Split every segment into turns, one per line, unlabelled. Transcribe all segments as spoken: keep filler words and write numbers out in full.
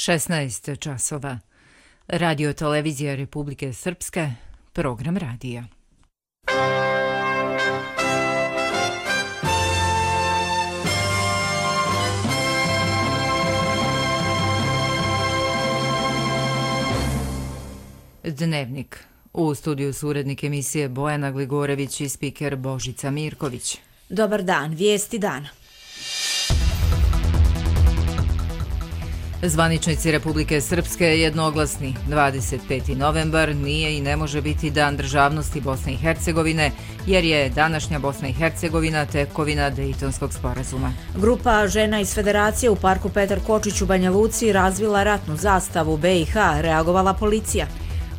šesnaest časova. Radio televizija Republike Srpske, program radija. Dnevnik. U studiju su urednik emisije Bojana Gligorević i spiker Božica Mirković.
Dobar dan, vijesti dana.
Zvaničnici Republike Srpske jednoglasni. dvadeset peti novembar nije i ne može biti Dan državnosti Bosne i Hercegovine, jer je današnja Bosna i Hercegovina tekovina Dejtonskog sporazuma.
Grupa žena iz Federacije u parku Petar Kočić u Banja Luci razvila ratnu zastavu B i H, reagovala policija.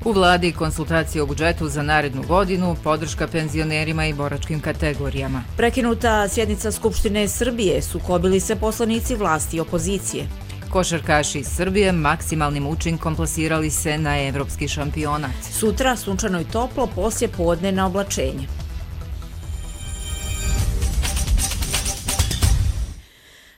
U vladi konsultacije o budžetu za narednu godinu, podrška penzionerima i boračkim kategorijama.
Prekinuta sjednica Skupštine Srbije, sukobili se poslanici vlasti i opozicije.
Košarkaši iz Srbije maksimalnim učinkom plasirali se na evropski šampionat.
Sutra sunčano i toplo, poslije podne na oblačenje.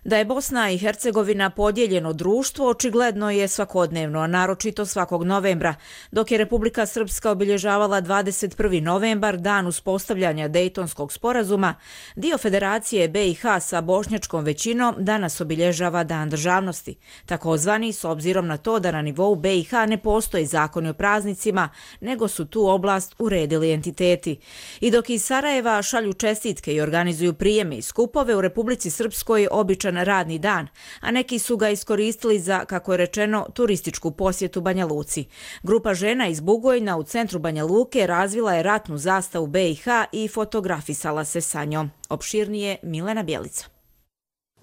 Da je Bosna i Hercegovina podijeljeno društvo očigledno je svakodnevno, a naročito svakog novembra, dok je Republika Srpska obilježavala dvadeset prvi novembar, dan uspostavljanja Dejtonskog sporazuma, dio Federacije B i H sa bošnjačkom većinom danas obilježava Dan državnosti, takozvani s obzirom na to da na nivou B i H ne postoji zakoni o praznicima, nego su tu oblast uredili entiteti. I dok iz Sarajeva šalju čestitke i organizuju prijeme i skupove, u Republici Srpskoj običan radni dan, a neki su ga iskoristili za, kako je rečeno, turističku posjetu Banja Luci. Grupa žena iz Bugojna u centru Banja Luke razvila je ratnu zastavu B i H i fotografisala se sa njom. Opširnije Milena Bjelica.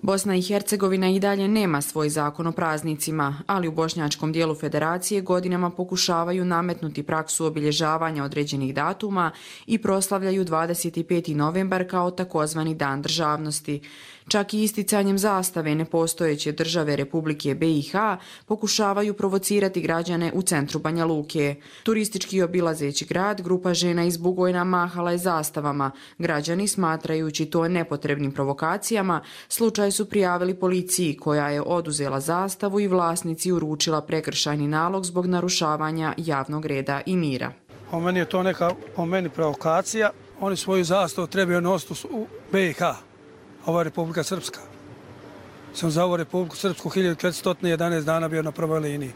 Bosna i Hercegovina i dalje nema svoj zakon o praznicima, ali u bošnjačkom dijelu federacije godinama pokušavaju nametnuti praksu obilježavanja određenih datuma i proslavljaju dvadeset peti novembar kao takozvani Dan državnosti. Čak i isticanjem zastave nepostojeće države Republike B i H pokušavaju provocirati građane u centru Banja Luke. Turistički obilazeći grad, grupa žena iz Bugojna mahala je zastavama. Građani, smatrajući to nepotrebnim provokacijama, slučaj su prijavili policiji, koja je oduzela zastavu i vlasnici uručila prekršajni nalog zbog narušavanja javnog reda i mira.
Po meni je to neka po meni provokacija. Oni svoju zastavu trebaju nositi u B i H. Ova Republika Srpska. Sam za ovu Republiku Srpsku hiljadu četiristo jedanaest dana bio na prvoj liniji.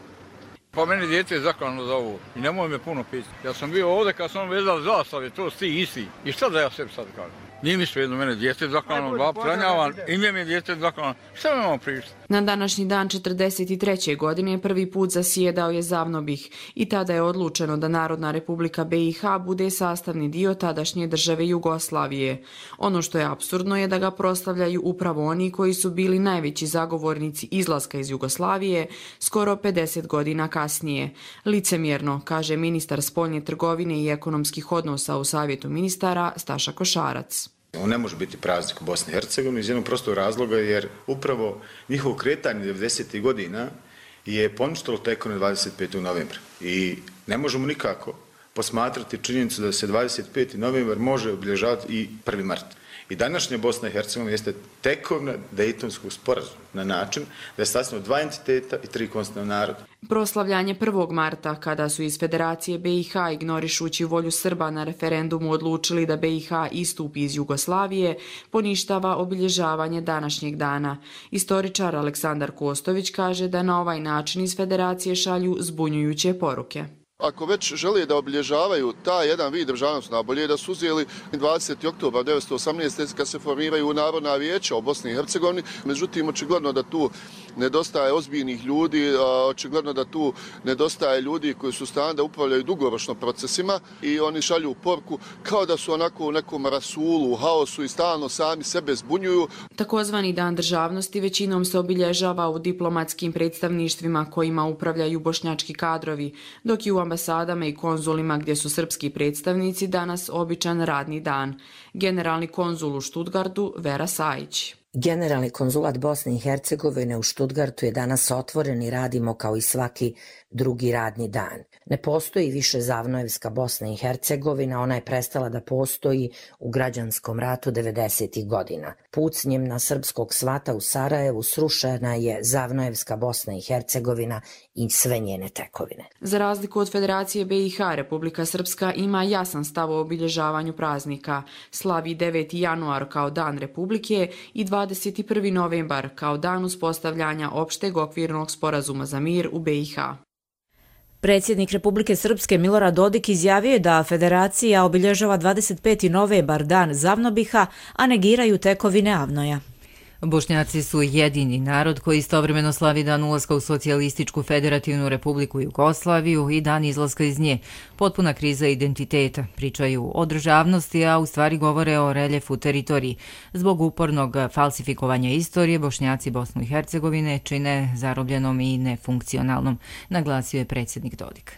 Pa meni djete je zaklano za ovo i nemoj me puno pitati. Ja sam bio ovdje kad sam vezao zastave, to sti isti. I šta da ja sebi sad kažem? Nije mi svejedno, mene djete je zaklano, bab tranjavan, ime mi je djete zaklano. Šta mi imamo pričati?
Na današnji dan četrdeset treće godine prvi put zasjedao je Zavnobih i tada je odlučeno da Narodna Republika B i H bude sastavni dio tadašnje države Jugoslavije. Ono što je apsurdno je da ga proslavljaju upravo oni koji su bili najveći zagovornici izlaska iz Jugoslavije skoro pedeset godina kasnije. Licemjerno, kaže ministar spoljne trgovine i ekonomskih odnosa u Savjetu ministara Staša Košarac.
On ne može biti praznik u Bosni i Hercegovini iz jednog prostog razloga jer upravo njihovo kretanje devedesetih godina je poništilo tekovinu dvadeset petog novembra. I ne možemo nikako posmatrati činjenicu da se dvadeset peti novembar može obilježavati i prvi mart. I današnja Bosna i Hercegovina jeste tekovina Dejtonskog sporazuma na način da je sastavljeno dva entiteta i tri konstitutivna naroda.
Proslavljanje prvog marta, kada su iz Federacije B i H ignorišući volju Srba na referendumu odlučili da B i H istupi iz Jugoslavije, poništava obilježavanje današnjeg dana. Istoričar Aleksandar Kostović kaže da na ovaj način iz Federacije šalju zbunjujuće poruke.
Ako već žele da obilježavaju taj jedan vid državnosti, najbolje da su uzeli dvadeseti oktobar devetsto osamnaeste. kad se formiraju Narodna vijeća u Bosni i Hercegovini. Međutim, očigledno da tu nedostaje ozbiljnih ljudi, očigledno da tu nedostaje ljudi koji su stane da upravljaju dugoročno procesima i oni šalju poruku kao da su onako u nekom rasulu, u haosu i stalno sami sebe zbunjuju.
Takozvani Dan državnosti većinom se obilježava u diplomatskim predstavništvima kojima upravljaju bošnjački kadrovi, dok i u ambasadama i konzulima gdje su srpski predstavnici danas običan radni dan. Generalni konzul u Štutgartu Vera Sajić.
Generalni konzulat Bosne i Hercegovine u Stuttgartu je danas otvoren i radimo kao i svaki drugi radni dan. Ne postoji više Zavnojevska Bosna i Hercegovina, ona je prestala da postoji u građanskom ratu devedesetih godina. Pucnjem na srpskog svata u Sarajevu srušena je Zavnojevska Bosna i Hercegovina i sve njene tekovine.
Za razliku od Federacije B i H, Republika Srpska ima jasan stav o obilježavanju praznika. Slavi deveti januar kao dan Republike i dvadeset prvi novembar kao dan uspostavljanja opšteg okvirnog sporazuma za mir u B i H.
Predsjednik Republike Srpske Milorad Dodik izjavio je da Federacija obilježava dvadeset peti novembar, dan Zavnobiha, a negiraju tekovine Avnoja.
Bošnjaci su jedini narod koji istovremeno slavi dan ulaska u Socijalističku federativnu republiku Jugoslaviju i dan izlaska iz nje. Potpuna kriza identiteta. Pričaju o državnosti, a u stvari govore o reljefu teritoriji. Zbog upornog falsifikovanja istorije, Bošnjaci Bosnu i Hercegovine čine zarobljenom i nefunkcionalnom, naglasio je predsjednik Dodik.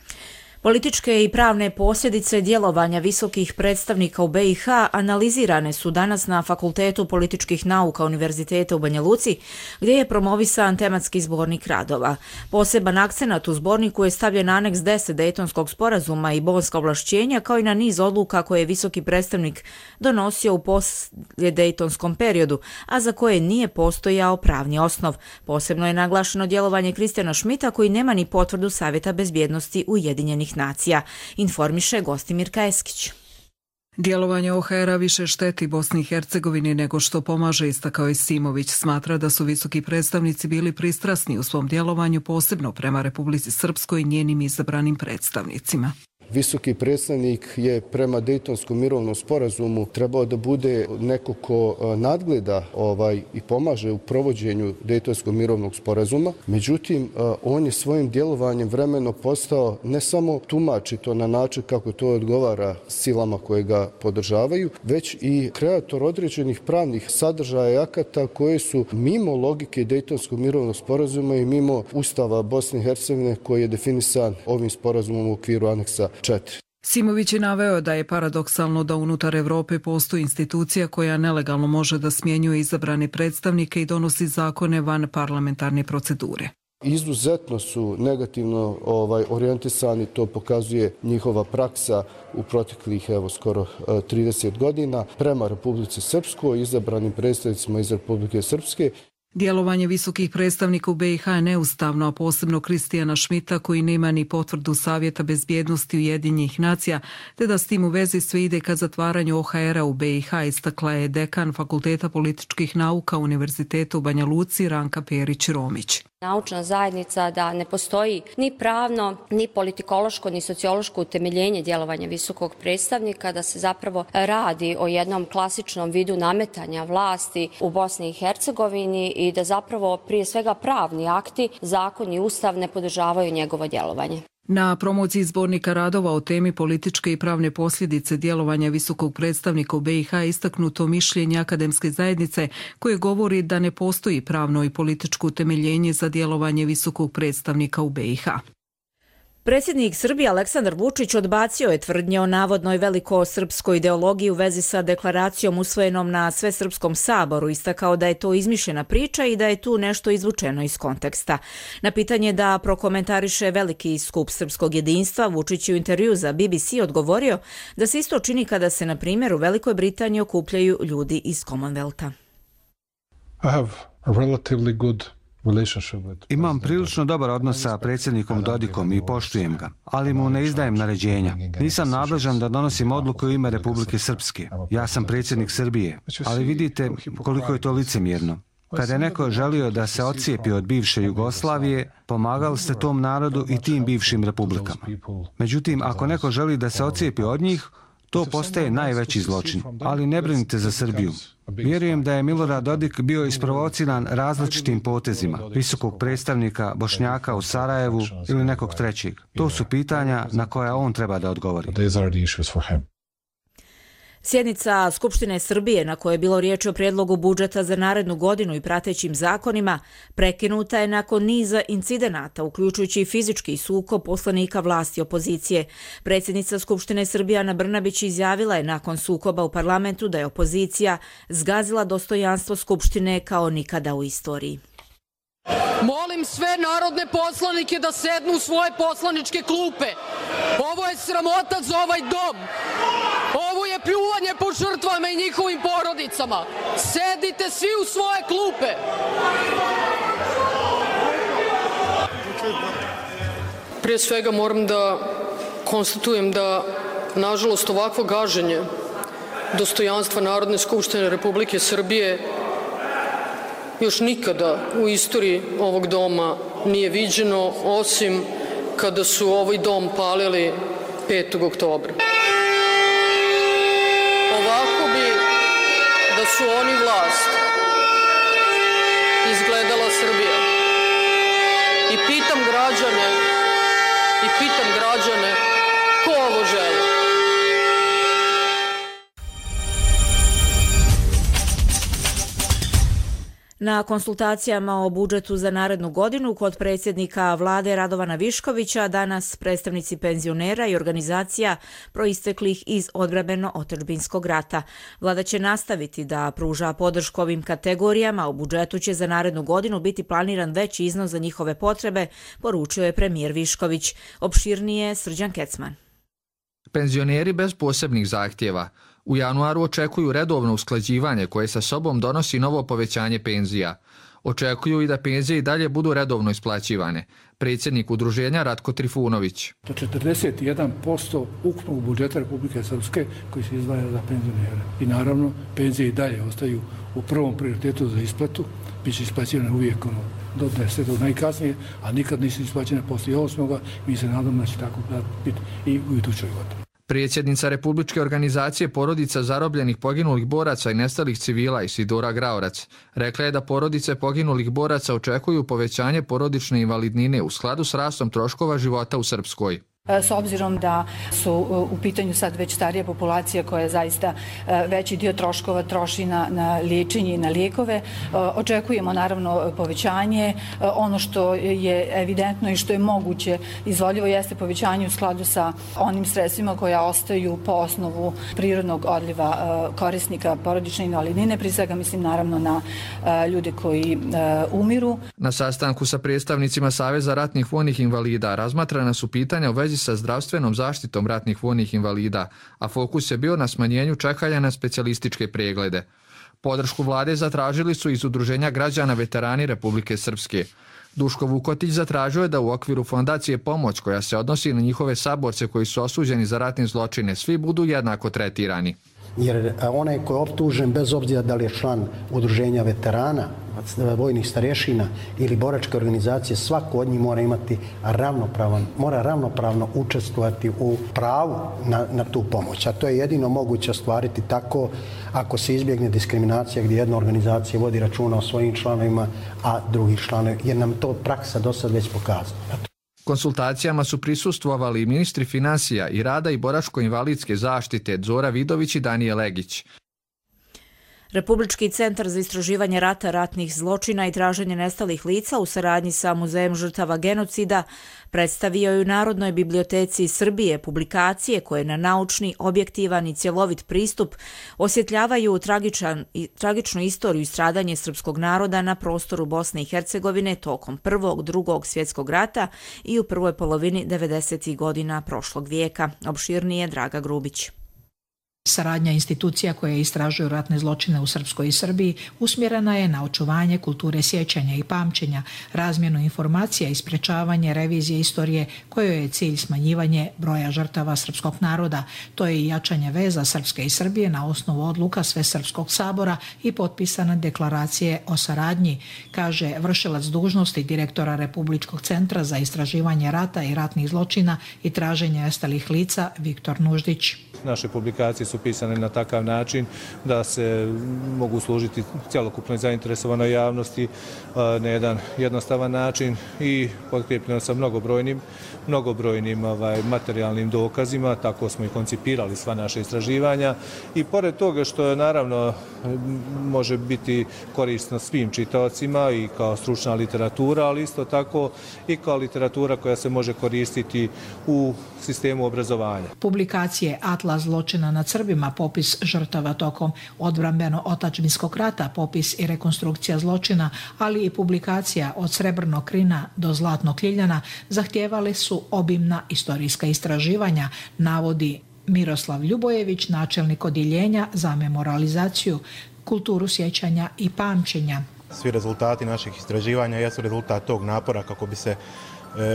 Političke i pravne posljedice djelovanja visokih predstavnika u B i H analizirane su danas na Fakultetu političkih nauka Univerziteta u Banja Luci, gdje je promovisan tematski zbornik radova. Poseban akcenat u zborniku je stavljen aneks deset Dejtonskog sporazuma i bonska ovlašćenja, kao i na niz odluka koje je visoki predstavnik donosio u poslijedejtonskom periodu, a za koje nije postojao pravni osnov. Posebno je naglašeno djelovanje Kristijana Šmita, koji nema ni potvrdu Savjeta bezbjednosti Ujedinjenih nacija, informiše Gostimirka Eskić.
Djelovanje O H R-a više šteti Bosni i Hercegovini nego što pomaže, istakao je Simović. Smatra da su visoki predstavnici bili pristrasni u svom djelovanju, posebno prema Republici Srpskoj i njenim izabranim predstavnicima.
Visoki predstavnik je prema Dejtonskom mirovnom sporazumu trebao da bude neko ko nadgleda ovaj i pomaže u provođenju Dejtonskog mirovnog sporazuma. Međutim, on je svojim djelovanjem vremeno postao ne samo tumači to na način kako to odgovara silama koje ga podržavaju, već i kreator određenih pravnih sadržaja i akata koje su mimo logike Dejtonskog mirovnog sporazuma i mimo Ustava Bosne i Hercegovine koji je definisan ovim sporazumom u okviru aneksa četiri.
Simović je naveo da je paradoksalno da unutar Evrope postoji institucija koja nelegalno može da smjenjuje izabrane predstavnike i donosi zakone van parlamentarne procedure.
Izuzetno su negativno ovaj, orijentisani, to pokazuje njihova praksa u proteklih evo, skoro trideset godina prema Republici Srpskoj, izabranim predstavnicima iz Republike Srpske.
Djelovanje visokih predstavnika u B i H je neustavno, a posebno Kristijana Šmita, koji nema ni potvrdu Savjeta bezbjednosti Ujedinjenih nacija, te da s tim u vezi sve ide ka zatvaranju O H R-a u B i H, istakla je dekan Fakulteta političkih nauka Univerziteta u Banja Luci Ranka Perić-Romić.
Naučna zajednica da ne postoji ni pravno, ni politikološko, ni sociološko utemeljenje djelovanja visokog predstavnika, da se zapravo radi o jednom klasičnom vidu nametanja vlasti u Bosni i Hercegovini i da zapravo prije svega pravni akti, zakon i ustav ne podržavaju njegovo djelovanje.
Na promociji zbornika radova o temi političke i pravne posljedice djelovanja visokog predstavnika u B i H istaknuto mišljenje akademske zajednice koje govori da ne postoji pravno i političko utemeljenje za djelovanje visokog predstavnika u B i H.
Predsjednik Srbije Aleksandar Vučić odbacio je tvrdnje o navodnoj velikosrpskoj ideologiji u vezi sa deklaracijom usvojenom na Svesrpskom saboru, istakao da je to izmišljena priča i da je tu nešto izvučeno iz konteksta. Na pitanje da prokomentariše veliki skup srpskog jedinstva, Vučić je u intervju za B B C odgovorio da se isto čini kada se, na primjer, u Velikoj Britaniji okupljaju ljudi iz Commonwealtha.
I have a relatively good
Imam prilično dobar odnos sa predsjednikom Dodikom i poštujem ga, ali mu ne izdajem naređenja. Nisam nadležan da donosim odluku u ime Republike Srpske. Ja sam predsjednik Srbije, ali vidite koliko je to licemjerno. Kada je neko želio da se odcijepi od bivše Jugoslavije, pomagali ste tom narodu i tim bivšim republikama. Međutim, ako neko želi da se odcijepi od njih, to postaje najveći zločin, ali ne brinite za Srbiju. Vjerujem da je Milorad Dodik bio isprovociran različitim potezima visokog predstavnika Bošnjaka u Sarajevu ili nekog trećeg. To su pitanja na koja on treba da odgovori.
Sjednica Skupštine Srbije, na kojoj je bilo riječ o prijedlogu budžeta za narednu godinu i pratećim zakonima, prekinuta je nakon niza incidenata, uključujući i fizički sukob poslanika vlasti i opozicije. Predsjednica Skupštine Srbije Ana Brnabić izjavila je nakon sukoba u parlamentu da je opozicija zgazila dostojanstvo Skupštine kao nikada u istoriji.
Molim sve narodne poslanike da sednu u svoje poslaničke klupe. Ovo je sramota za ovaj dom. Ovo je pljuvanje po žrtvama i njihovim porodicama. Sedite svi u svoje klupe. Prije svega moram da konstatujem da, nažalost, ovakvo gaženje dostojanstva Narodne skupštine Republike Srbije još nikada u istoriji ovog doma nije viđeno, osim kada su ovaj dom palili petog oktobra. Ovako bi, da su oni vlast, izgledala Srbija. I pitam građane, i pitam građane ko ovo želi.
Na konsultacijama o budžetu za narednu godinu kod predsjednika vlade Radovana Viškovića danas predstavnici penzionera i organizacija proisteklih iz odbrambeno-otadžbinskog rata. Vlada će nastaviti da pruža podršku ovim kategorijama, u budžetu će za narednu godinu biti planiran veći iznos za njihove potrebe, poručio je premijer Višković. Opširnije Srđan Kecman.
Penzioneri bez posebnih zahtjeva u januaru očekuju redovno usklađivanje koje sa sobom donosi novo povećanje penzija. Očekuju i da penzije i dalje budu redovno isplaćivane. Predsjednik udruženja Ratko Trifunović.
To četrdeset jedan posto ukupnog budžeta Republike Srpske koji se izdvaja za penzionere. I naravno, penzije i dalje ostaju u prvom prioritetu za isplatu. Biće isplaćivane uvijek ono, do desetog najkasnije, a nikad nisu isplaćene poslije osmoga. Mi se nadamo da će tako biti i u idućoj godini.
Predsjednica Republičke organizacije porodica zarobljenih poginulih boraca i nestalih civila Isidora Graorac rekla je da porodice poginulih boraca očekuju povećanje porodične invalidnine u skladu s rastom troškova života u Srpskoj.
S obzirom da su u pitanju sad već starija populacija koja zaista veći dio troškova troši na, na liječenje i na lijekove, očekujemo naravno povećanje. Ono što je evidentno i što je moguće izvodljivo jeste povećanje u skladu sa onim sredstvima koja ostaju po osnovu prirodnog odliva korisnika porodične invalidnine, prije svega mislim naravno na ljude koji umiru.
Na sastanku sa predstavnicima Saveza ratnih vojnih invalida razmatrana su pitanja u vezi sa zdravstvenom zaštitom ratnih vojnih invalida, a fokus je bio na smanjenju čekanja na specijalističke preglede. Podršku vlade zatražili su iz Udruženja građana veterani Republike Srpske. Duško Vukotić zatražio je da u okviru fondacije Pomoć, koja se odnosi na njihove saborce koji su osuđeni za ratne zločine, svi budu jednako tretirani.
Jer onaj ko je optužen, bez obzira da li je član Udruženja veterana, vojnih starješina ili boračke organizacije, svako od njih mora imati ravnopravan, mora ravnopravno učestvovati u pravu na, na tu pomoć. A to je jedino moguće ostvariti tako ako se izbjegne diskriminacija gdje jedna organizacija vodi računa o svojim članovima, a drugih članova, jer nam to praksa do sad već pokazala.
Konsultacijama su prisustvovali ministri financija i rada i boračko-invalidske zaštite Zora Vidović i Danije Legić.
Republički centar za istraživanje rata, ratnih zločina i traženje nestalih lica u saradnji sa Muzejem žrtava genocida predstavio je u Narodnoj biblioteci Srbije publikacije koje na naučni, objektivan i cjelovit pristup osjetljavaju tragičan, tragičnu istoriju i stradanje srpskog naroda na prostoru Bosne i Hercegovine tokom Prvog, Drugog svjetskog rata i u prvoj polovini devedesetih godina prošlog vijeka. Opširnije Draga Grubić.
Saradnja institucija koje istražuju ratne zločine u Srpskoj i Srbiji usmjerena je na očuvanje kulture sjećanja i pamćenja, razmjenu informacija i sprečavanje revizije istorije kojoj je cilj smanjivanje broja žrtava srpskog naroda. To je i jačanje veza Srpske i Srbije na osnovu odluka Svesrpskog sabora i potpisane deklaracije o saradnji, kaže vršilac dužnosti direktora Republičkog centra za istraživanje rata i ratnih zločina i traženje nestalih lica Viktor Nuždić.
naše publikacije su pisane na takav način da se mogu služiti cjelokupnoj zainteresovanoj javnosti na jedan jednostavan način i potkrijepljeno sa mnogobrojnim, mnogobrojnim ovaj, materijalnim dokazima. Tako smo i koncipirali sva naša istraživanja i pored toga što je naravno može biti korisno svim čitaocima i kao stručna literatura, ali isto tako i kao literatura koja se može koristiti u sistemu obrazovanja.
Publikacije Atlas zločina nad Srbima, popis žrtava tokom odbrambeno-otačbinskog rata, popis i rekonstrukcija zločina, ali i publikacija Od srebrnog krina do zlatnog ljiljana zahtijevali su obimna istorijska istraživanja, navodi Miroslav Ljubojević, načelnik odjeljenja za memorializaciju, kulturu sjećanja i pamćenja.
Svi rezultati naših istraživanja jesu rezultat tog napora kako bi se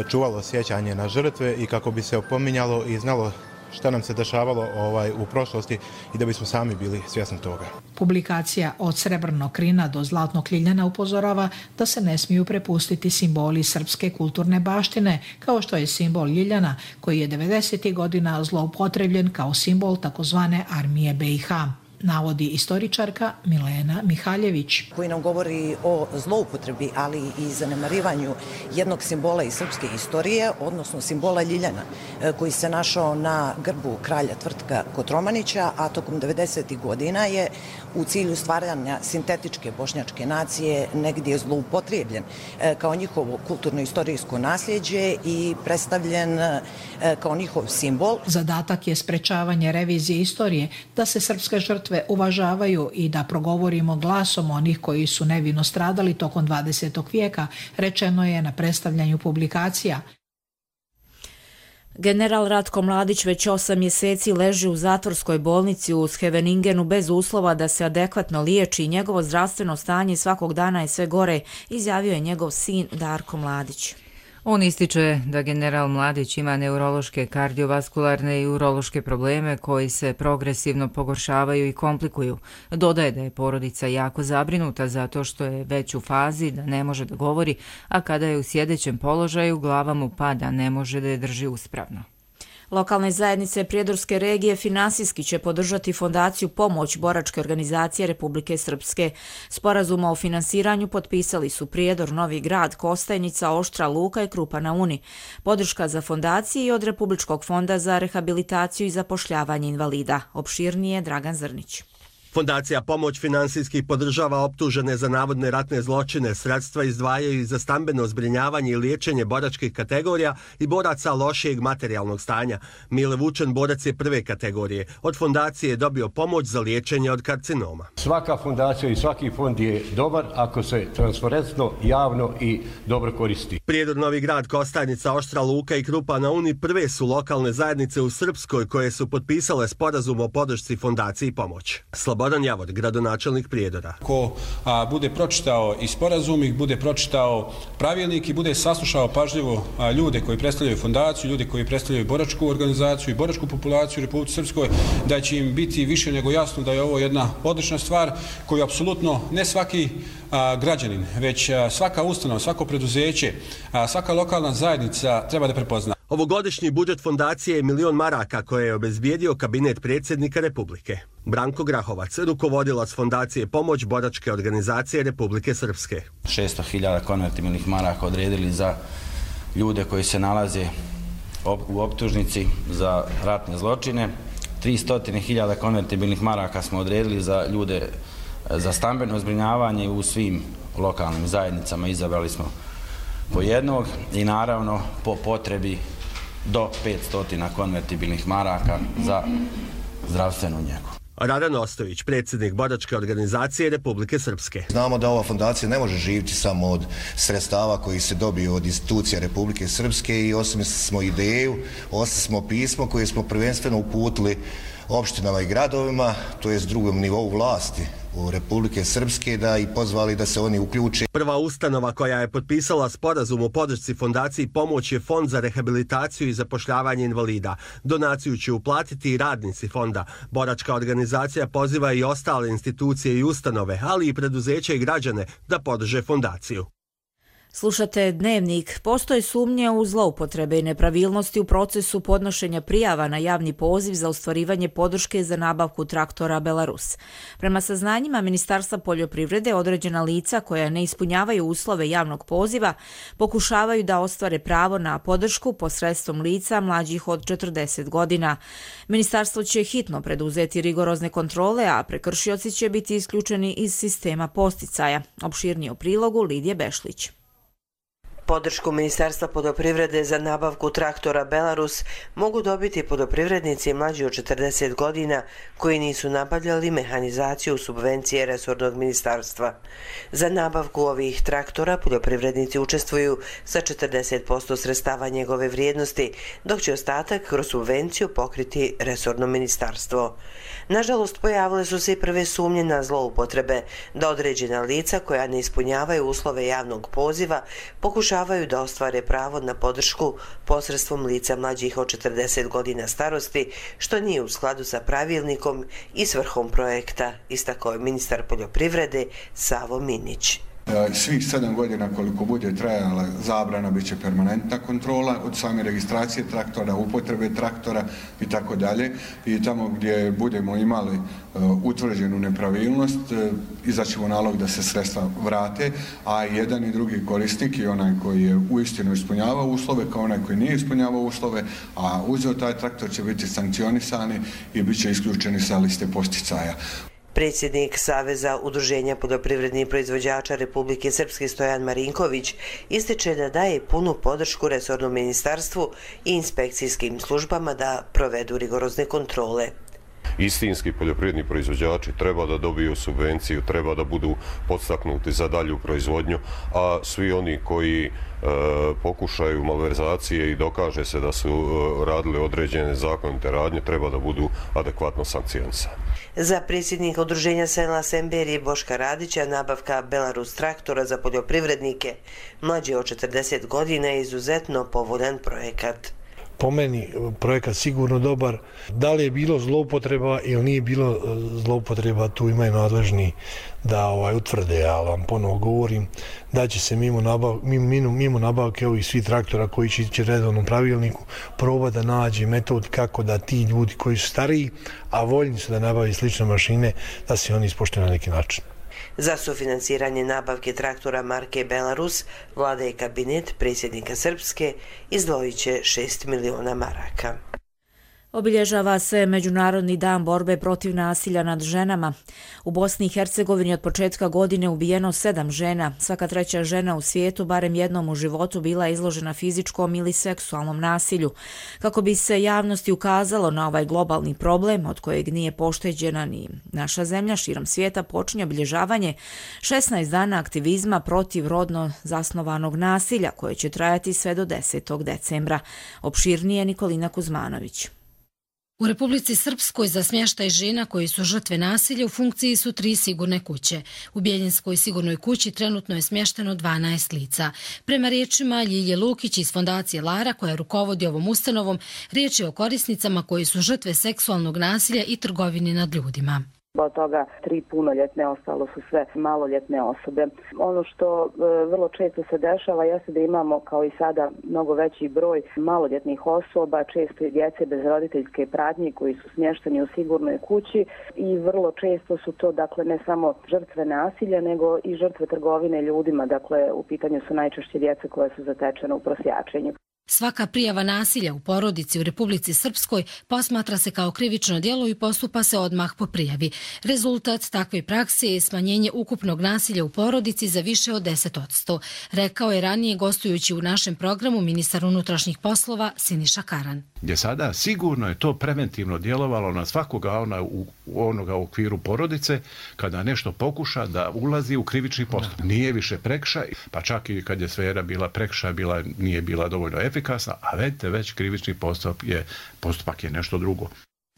čuvalo sjećanje na žrtve i kako bi se opominjalo i znalo šta nam se dešavalo ovaj, u prošlosti i da bismo sami bili svjesni toga.
Publikacija Od srebrnog krina do zlatnog ljiljana upozorava da se ne smiju prepustiti simboli srpske kulturne baštine, kao što je simbol ljiljana, koji je devedesetih godina zloupotrebljen kao simbol takozvane armije B i H. Navodi istoričarka Milena Mihaljević.
Koji nam govori o zloupotrebi, ali i zanemarivanju jednog simbola iz srpske istorije, odnosno simbola ljiljana, koji se našao na grbu kralja Tvrtka Kotromanića, a tokom devedesetih godina je u cilju stvaranja sintetičke bošnjačke nacije negdje zloupotrebljen kao njihovo kulturno-istorijsko nasljeđe i predstavljen kao njihov simbol.
Zadatak je sprečavanje revizije istorije, da se srpske žrtve uvažavaju i da progovorimo glasom onih koji su nevino stradali tokom dvadesetog vijeka, rečeno je na predstavljanju publikacija.
General Ratko Mladić već osam mjeseci leži u zatvorskoj bolnici u Scheveningenu bez uslova da se adekvatno liječi i njegovo zdravstveno stanje svakog dana je sve gore, izjavio je njegov sin Darko Mladić.
On ističe da general Mladić ima neurološke, kardiovaskularne i urološke probleme koji se progresivno pogoršavaju i komplikuju. Dodaje da je porodica jako zabrinuta zato što je već u fazi da ne može da govori, a kada je u sjedećem položaju glava mu pada, ne može da je drži uspravno.
Lokalne zajednice Prijedorske regije finansijski će podržati fondaciju Pomoć boračke organizacije Republike Srpske. Sporazuma o finansiranju potpisali su Prijedor, Novi Grad, Kostajnica, Oštra Luka i Krupa na Uni. Podrška za fondaciju i od Republičkog fonda za rehabilitaciju i zapošljavanje invalida. Opširnije Dragan Zrnić.
Fondacija Pomoć finansijski podržava optužene za navodne ratne zločine. Sredstva izdvajaju za stambeno zbrinjavanje i liječenje boračkih kategorija i boraca lošijeg materijalnog stanja. Mile Vučen borac je prve kategorije. Od fondacije je dobio pomoć za liječenje od karcinoma.
Svaka fondacija i svaki fond je dobar ako se transparentno, javno i dobro koristi.
Prijedor, Novi Grad, Kostajnica, Oštra Luka i Krupa na Uni prve su lokalne zajednice u Srpskoj koje su potpisale sporazum o podršci fondaciji Pomoć. Slobodan Javor, gradonačelnik Prijedora.
Ko a, bude pročitao i sporazum, ih bude pročitao pravilnik i bude saslušao pažljivo a, ljude koji predstavljaju fondaciju, ljude koji predstavljaju boračku organizaciju i boračku populaciju u Republici Srpskoj, da će im biti više nego jasno da je ovo jedna odlična stvar koju apsolutno ne svaki a, građanin, već a, svaka ustanova, svako preduzeće, a, svaka lokalna zajednica treba da prepozna.
Ovogodišnji budžet fondacije je milion maraka koje je obezbijedio kabinet predsjednika Republike. Branko Grahovac, rukovodilac fondacije Pomoć boračke organizacije Republike Srpske.
šesto hiljada konvertibilnih maraka odredili za ljude koji se nalaze u optužnici za ratne zločine. tristo hiljada konvertibilnih maraka smo odredili za ljude za stambeno zbrinjavanje u svim lokalnim zajednicama. Izabrali smo po jednog i naravno po potrebi do petsto konvertibilnih maraka za zdravstvenu njegu.
Radan Ostojić, predsjednik boračke organizacije Republike Srpske.
Znamo da ova fondacija ne može živjeti samo od sredstava koji se dobiju od institucija Republike Srpske i osmislili smo ideju, osmislili smo pismo koje smo prvenstveno uputili opštinama i gradovima, to je s drugom nivou vlasti u Republike Srpske, da i pozvali da se oni uključe.
Prva ustanova koja je potpisala sporazum o podršci fondaciji Pomoć je Fond za rehabilitaciju i zapošljavanje invalida. Donaciju će uplatiti i radnici fonda. Boračka organizacija poziva i ostale institucije i ustanove, ali i preduzeće i građane da podrže fondaciju.
Slušate Dnevnik. Postoje sumnje u zloupotrebe i nepravilnosti u procesu podnošenja prijava na javni poziv za ostvarivanje podrške za nabavku traktora Belarus. Prema saznanjima Ministarstva poljoprivrede, određena lica koja ne ispunjavaju uslove javnog poziva pokušavaju da ostvare pravo na podršku posredstvom lica mlađih od četrdeset godina. Ministarstvo će hitno preduzeti rigorozne kontrole, a prekršioci će biti isključeni iz sistema posticaja. Opširnije u prilogu Lidije Bešlić.
Podršku Ministarstva poljoprivrede za nabavku traktora Belarus mogu dobiti poljoprivrednici mlađi od četrdeset godina koji nisu nabavljali mehanizaciju subvencije resornog ministarstva. Za nabavku ovih traktora poljoprivrednici učestvuju sa četrdeset posto sredstava njegove vrijednosti, dok će ostatak kroz subvenciju pokriti resorno ministarstvo. Nažalost, pojavile su se i prve sumnje na zloupotrebe, da određena lica koja ne ispunjavaju uslove javnog poziva pokušavaju da ostvare pravo na podršku posredstvom lica mlađih od četrdeset godina starosti, što nije u skladu sa pravilnikom i svrhom projekta, istakao je ministar poljoprivrede Savo Minić.
Svih sedam godina koliko bude trajala zabrana bit će permanentna kontrola od same registracije traktora, upotrebe traktora i tako dalje. I tamo gdje budemo imali utvrđenu nepravilnost, izaćemo nalog da se sredstva vrate, a jedan i drugi korisnik i onaj koji je uistinu ispunjavao uslove kao onaj koji nije ispunjavao uslove, a uzeo taj traktor će biti sankcionisani i bit će isključeni sa liste posticaja.
Predsjednik Saveza udruženja poljoprivrednih proizvođača Republike Srpske Stojan Marinković ističe da daje punu podršku resornom ministarstvu i inspekcijskim službama da provedu rigorozne kontrole.
Istinski poljoprivredni proizvođači treba da dobiju subvenciju, treba da budu podstaknuti za dalju proizvodnju, a svi oni koji e, pokušaju malverzacije i dokaže se da su e, radili određene zakonite radnje, treba da budu adekvatno sankcionisani.
Za predsjednika udruženja sela Semberije Boška Radića nabavka Belarus traktora za poljoprivrednike mlađe od četrdeset godina je izuzetno povoljan projekat.
Po meni projekat sigurno dobar. Da li je bilo zloupotreba ili nije bilo zloupotreba, tu imaju nadležni da ovaj, utvrde, ja vam ponovo govorim da će se mimo, nabav, mimo, mimo nabavke ovih svih traktora koji će ići redovnom pravilniku proba da nađe metod kako da ti ljudi koji su stariji, a voljni su da nabavi slične mašine, da se oni ispoštuju na neki način.
Za sufinansiranje nabavke traktora marke Belarus, vlada i kabinet predsjednika Srpske izdvojit će šest miliona maraka.
Obilježava se Međunarodni dan borbe protiv nasilja nad ženama. U Bosni i Hercegovini od početka godine ubijeno sedam žena. Svaka treća žena u svijetu barem jednom u životu bila izložena fizičkom ili seksualnom nasilju. Kako bi se javnosti ukazalo na ovaj globalni problem od kojeg nije pošteđena ni naša zemlja, širom svijeta počinje obilježavanje šesnaest dana aktivizma protiv rodno zasnovanog nasilja koje će trajati sve do desetog decembra. Opširnije Nikolina Kuzmanović.
U Republici Srpskoj za smještaj žena koji su žrtve nasilja u funkciji su tri sigurne kuće. U Bjeljinskoj sigurnoj kući trenutno je smješteno dvanaest lica. Prema riječima Ljilje Lukić iz fondacije Lara, koja rukovodi ovom ustanovom, riječ je o korisnicama koji su žrtve seksualnog nasilja i trgovine nad ljudima.
Od toga tri punoljetne, ostalo su sve maloljetne osobe. Ono što e, vrlo često se dešava jeste da imamo kao i sada mnogo veći broj maloljetnih osoba, često i djece bez roditeljske pratnje koji su smješteni u sigurnoj kući i vrlo često su to dakle ne samo žrtve nasilja nego i žrtve trgovine ljudima, dakle u pitanju su najčešće djeca koja su zatečena u prosjačenju.
Svaka prijava nasilja u porodici u Republici Srpskoj posmatra se kao krivično djelo i postupa se odmah po prijavi. Rezultat takve prakse je smanjenje ukupnog nasilja u porodici za više od deset posto, rekao je ranije gostujući u našem programu ministar unutrašnjih poslova Siniša Karan.
Gdje sada sigurno je to preventivno djelovalo na svakoga ona u onoga u okviru porodice kada nešto pokuša da ulazi u krivični postupak. Nije više prekršaj, pa čak i kad je sfera bila prekršaj, bila, nije bila dovoljno efikasna, a vedite već krivični postupak je, postupak je nešto drugo.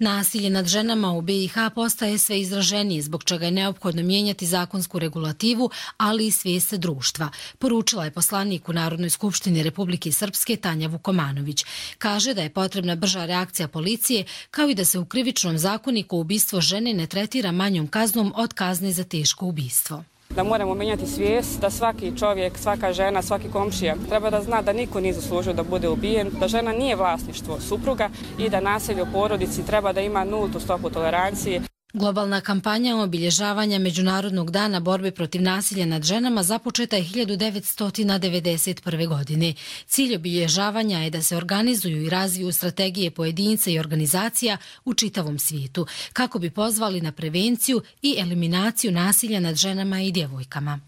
Nasilje nad ženama u B i H postaje sve izraženije, zbog čega je neophodno mijenjati zakonsku regulativu, ali i svijest društva, poručila je poslanik u Narodnoj skupštini Republike Srpske Tanja Vukomanović. Kaže da je potrebna brža reakcija policije, kao i da se u krivičnom zakoniku ubistvo žene ne tretira manjom kaznom od kazne za teško ubistvo.
Da moramo menjati svijest, da svaki čovjek, svaka žena, svaki komšija treba da zna da niko nije zaslužio da bude ubijen, da žena nije vlasništvo supruga i da nasilje u porodici treba da ima nultu stopu tolerancije.
Globalna kampanja obilježavanja Međunarodnog dana borbe protiv nasilja nad ženama započeta je hiljadu devetsto devedeset prve. godine. Cilj obilježavanja je da se organizuju i razviju strategije pojedinca i organizacija u čitavom svijetu, kako bi pozvali na prevenciju i eliminaciju nasilja nad ženama i djevojkama.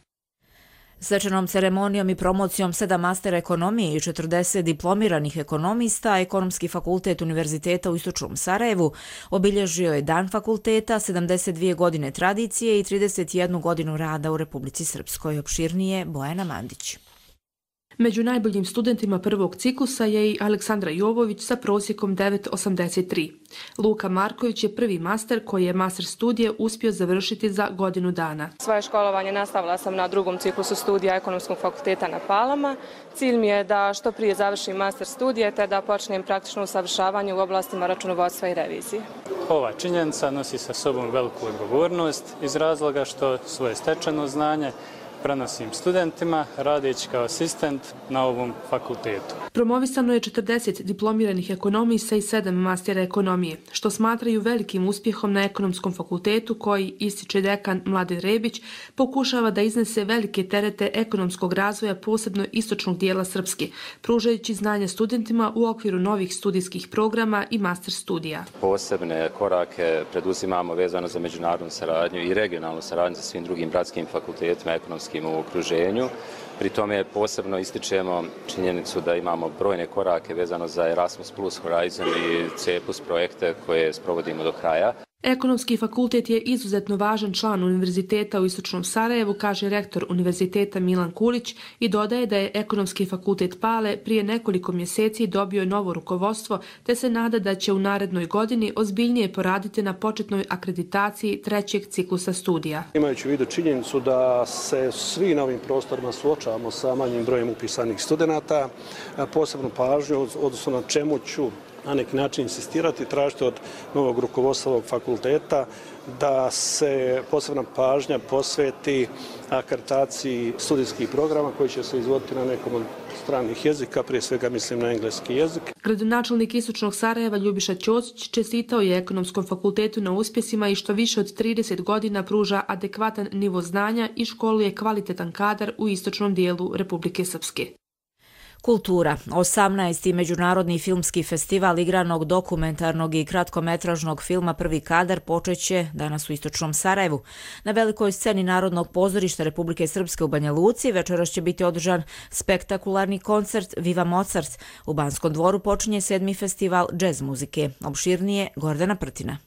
Svečanom ceremonijom i promocijom sedam mastera ekonomije i četrdeset diplomiranih ekonomista, Ekonomski fakultet Univerziteta u Istočnom Sarajevu obilježio je Dan fakulteta, sedamdeset dvije godine tradicije i trideset jednu godinu rada u Republici Srpskoj. Opširnije Bojana Mandić.
Među najboljim studentima prvog ciklusa je i Aleksandra Jovović sa prosjekom devet zarez osamdeset tri. Luka Marković je prvi master koji je master studije uspio završiti za godinu dana.
Svoje školovanje nastavila sam na drugom ciklusu studija Ekonomskog fakulteta na Palama. Cilj mi je da što prije završim master studije te da počnem praktično usavršavanje u oblastima računovodstva i revizije.
Ova činjenica nosi sa sobom veliku odgovornost iz razloga što svoje stečeno znanje prenosim studentima radeći kao asistent na ovom fakultetu.
Promovisano je četrdeset diplomiranih ekonomista i sedam mastera ekonomije, što smatraju velikim uspjehom na Ekonomskom fakultetu koji, ističe dekan Mladen Rebić, pokušava da iznese velike terete ekonomskog razvoja posebno istočnog dijela Srpske, pružajući znanje studentima u okviru novih studijskih programa i master studija.
Posebne korake preduzimamo vezano za međunarodnu saradnju i regionalnu saradnju sa svim drugim bratskim fakultetima ekonomskim u okruženju. Pri tome posebno ističemo činjenicu da imamo brojne korake vezano za Erasmus plus, Horizon i C plus projekte koje sprovodimo do kraja.
Ekonomski fakultet je izuzetno važan član Univerziteta u Istočnom Sarajevu, kaže rektor Univerziteta Milan Kulić i dodaje da je Ekonomski fakultet Pale prije nekoliko mjeseci dobio novo rukovodstvo te se nada da će u narednoj godini ozbiljnije poraditi na početnoj akreditaciji trećeg ciklusa studija.
Imajući u vidu činjenicu da se svi na ovim prostorima suočavamo sa manjim brojem upisanih studenata, posebnu pažnju, odnosno na čemu ću na neki način insistirati, tražiti od novog rukovodstva ovog fakulteta da se posebna pažnja posveti akreditaciji studijskih programa koji će se izvoditi na nekom od stranih jezika, prije svega mislim na engleski jezik.
Gradonačelnik Istočnog Sarajeva Ljubiša Ćosić čestitao je Ekonomskom fakultetu na uspjesima i što više od trideset godina pruža adekvatan nivo znanja i školuje kvalitetan kadar u istočnom dijelu Republike Srpske.
Kultura. osamnaesti. Međunarodni filmski festival igranog, dokumentarnog i kratkometražnog filma Prvi kadar počeće danas u Istočnom Sarajevu. Na velikoj sceni Narodnog pozorišta Republike Srpske u Banja Luci večeras će biti održan spektakularni koncert Viva Mozart. U Banskom dvoru počinje sedmi festival džez muzike. Opširnije Gordana Prtina.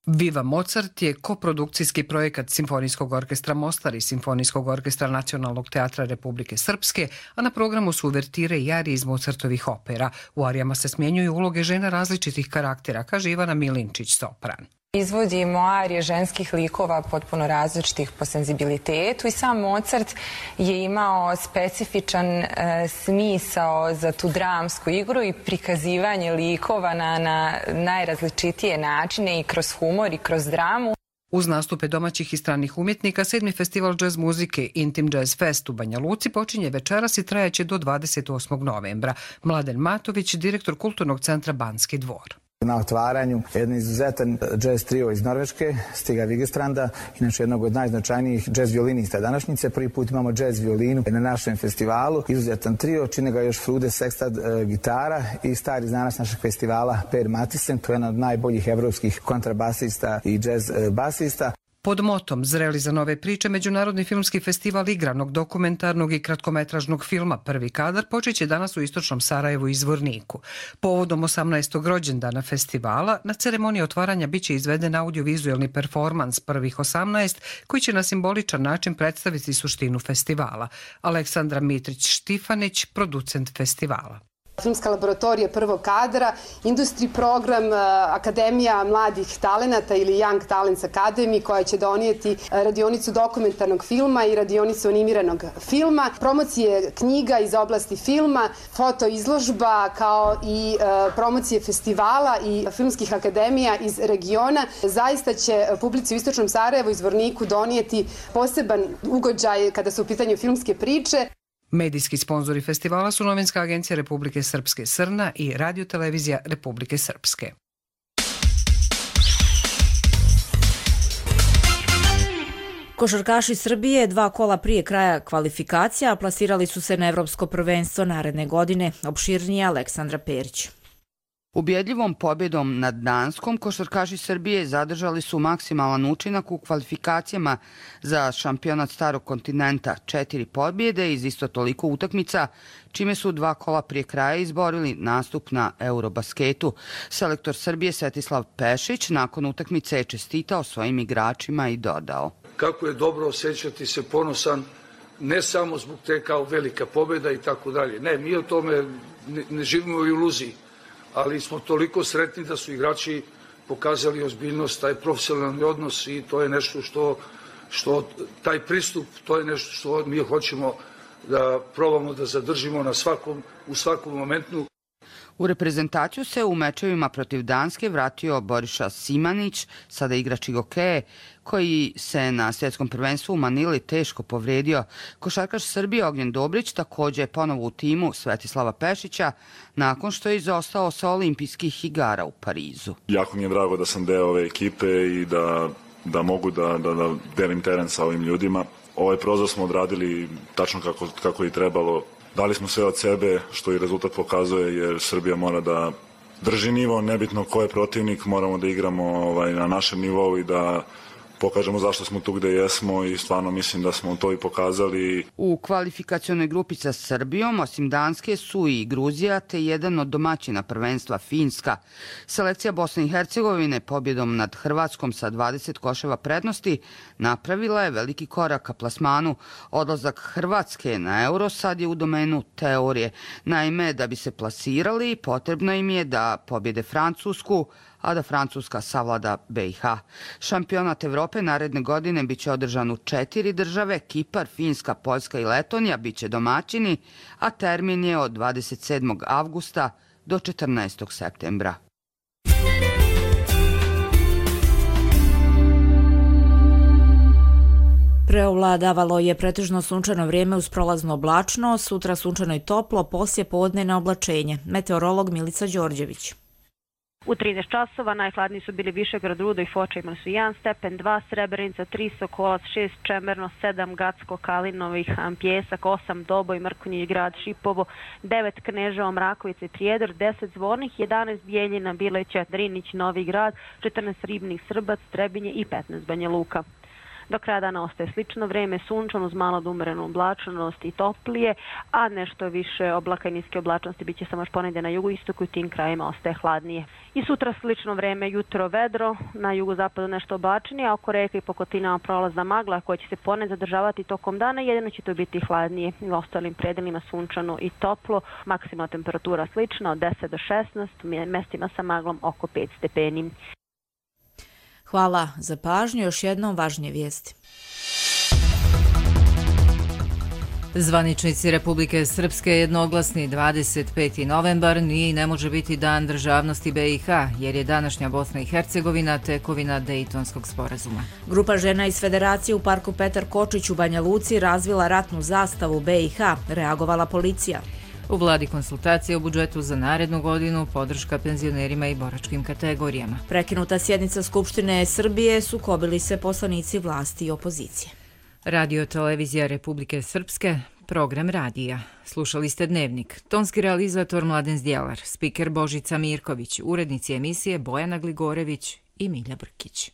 Viva Mozart je koprodukcijski projekat Simfonijskog orkestra Mostar i Simfonijskog orkestra Nacionalnog teatra Republike Srpske, a na programu su uvertire i arije iz Mozartovih opera. U arijama se smjenjuju uloge žena različitih karaktera, kaže Ivana Milinčić, sopran.
Izvodimo arije ženskih likova potpuno različitih po senzibilitetu i sam Mozart je imao specifičan e, smisao za tu dramsku igru i prikazivanje likova na, na najrazličitije načine i kroz humor i kroz dramu.
Uz nastupe domaćih i stranih umjetnika, sedmi festival džez muzike Intim Jazz Fest u Banja Luci počinje večeras i trajaće do dvadeset osmog novembra. Mladen Matović, direktor Kulturnog centra Banski dvor.
Na otvaranju jedan izuzetan džez trio iz Norveške, Stiga Vigestranda, inače jednog od najznačajnijih džez violinista današnjice. Prvi put imamo džez violinu na našem festivalu. Izuzetan trio, čine ga još Frude Sextat e, gitara i stari znanac našeg festivala Per Matisen, to je jedan od najboljih evropskih kontrabasista i džez e, basista.
Pod motom Zreli za nove priče, Međunarodni filmski festival igranog, dokumentarnog i kratkometražnog filma Prvi kadar počeće danas u Istočnom Sarajevu i Zvorniku. Povodom osamnaestog rođendana festivala, na ceremoniji otvaranja biće izveden audiovizualni performans Prvih osamnaest, koji će na simboličan način predstaviti suštinu festivala. Aleksandra Mitrić-Štifanić, producent festivala.
Filmska laboratorija prvog kadra, industri program, Akademija mladih talenata ili Young Talents Academy koja će donijeti radionicu dokumentarnog filma i radionicu animiranog filma, promocije knjiga iz oblasti filma, fotoizložba kao i promocije festivala i filmskih akademija iz regiona. Zaista će publici u Istočnom Sarajevu i Zvorniku donijeti poseban ugođaj kada su u pitanju filmske priče.
Medijski sponzori festivala su Novinska agencija Republike Srpske Srna i Radio-televizija Republike Srpske.
Košarkaši Srbije dva kola prije kraja kvalifikacija plasirali su se na Evropsko prvenstvo naredne godine. Opširnije Aleksandra Perić.
Ubjedljivom pobjedom nad Danskom, košarkaši Srbije zadržali su maksimalan učinak u kvalifikacijama za šampionat starog kontinenta, četiri pobjede iz isto toliko utakmica, čime su dva kola prije kraja izborili nastup na Eurobasketu. Selektor Srbije Svetislav Pešić nakon utakmice je čestitao svojim igračima i dodao:
kako je dobro osjećati se ponosan, ne samo zbog te kao velika pobjeda i tako dalje. Ne, mi o tome ne, ne živimo u iluziji, ali smo toliko sretni da su igrači pokazali ozbiljnost, taj profesionalni odnos i to je nešto što, što taj pristup, to je nešto što mi hoćemo da probamo da zadržimo na svakom, u svakom momentu.
U reprezentaciju se u mečevima protiv Danske vratio Boriša Simanić, sada igrač Igokeje, koji se na svjetskom prvenstvu u Manili teško povredio. Košarkaš Srbije Ognjen Dobrić također je ponovo u timu Svetislava Pešića nakon što je izostao sa olimpijskih igara u Parizu.
Jako mi je drago da sam deo ove ekipe i da, da mogu da, da, da delim teren sa ovim ljudima. Ovaj prozor smo odradili tačno kako, kako je trebalo. Dali smo sve od sebe, što i rezultat pokazuje, jer Srbija mora da drži nivo, nebitno ko je protivnik, moramo da igramo ovaj, na našem nivou i da pokažemo zašto smo tu gde jesmo i stvarno mislim da smo to i pokazali.
U kvalifikacionoj grupi sa Srbijom, osim Danske, su i Gruzija te jedan od domaćina prvenstva Finska. Selekcija Bosne i Hercegovine pobjedom nad Hrvatskom sa dvadeset koševa prednosti napravila je veliki korak ka plasmanu. Odlazak Hrvatske na Euro sad je u domenu teorije. Naime, da bi se plasirali, potrebno im je da pobjede Francusku, a da Francuska savlada B i H. Šampionat Evrope naredne godine biće održan u četiri države, Kipar, Finska, Poljska i Letonija biće domaćini, a termin je od dvadeset sedmog avgusta do četrnaestog septembra.
Preovladavalo je pretežno sunčano vrijeme uz prolazno oblačno, sutra sunčano i toplo, poslije podne na oblačenje. Meteorolog Milica Đorđević.
U trinaest časova najhladniji su bili Višegrad, Rudo i Foča, imali su jedan stepen, dva Srebrenica, tri Sokolac, šest Čemerno, sedam Gacko, Kalinovih, Pjesak, osam Doboj, Mrkonjić grad, Šipovo, devet Kneževo, Mrakovica i Prijedor, deset Zvornih, jedanaest Bijeljina, Bileća, Drinić, Novi grad, četrnaest Ribnik, Srbac, Trebinje i petnaest Banja Luka. Do kraja dana ostaje slično vrijeme, sunčano uz malo umerenu oblačnost i toplije, a nešto više oblaka i niske oblačnosti bit će samo još ponedje na jugoistoku i tim krajima ostaje hladnije. I sutra slično vrijeme, jutro vedro, na jugozapadu nešto oblačenije, a oko reka i po kotinama prolazna magla koja će se poned zadržavati tokom dana, jedino će to biti hladnije. U ostalim predelima sunčano i toplo, maksimalna temperatura slična od deset do šesnaest, mestima sa maglom oko pet stepeni.
Hvala za pažnju, još jednom važnije vijesti.
Zvaničnici Republike Srpske jednoglasni dvadeset peti novembar nije i ne može biti dan državnosti B i H, jer je današnja Bosna i Hercegovina tekovina Dejtonskog sporazuma.
Grupa žena iz Federacije u parku Petar Kočić u Banja Luci razvila ratnu zastavu B i H, reagovala policija.
U vladi konsultacije o budžetu za narednu godinu, podrška penzionerima i boračkim kategorijama.
Prekinuta sjednica Skupštine Srbije, sukobili se poslanici vlasti i opozicije.
Radio-televizija Republike Srpske, program radija. Slušali ste Dnevnik. Tonski realizator Mladen Zdjelar, spiker Božica Mirković, urednici emisije Bojana Gligorević i Milja Brkić.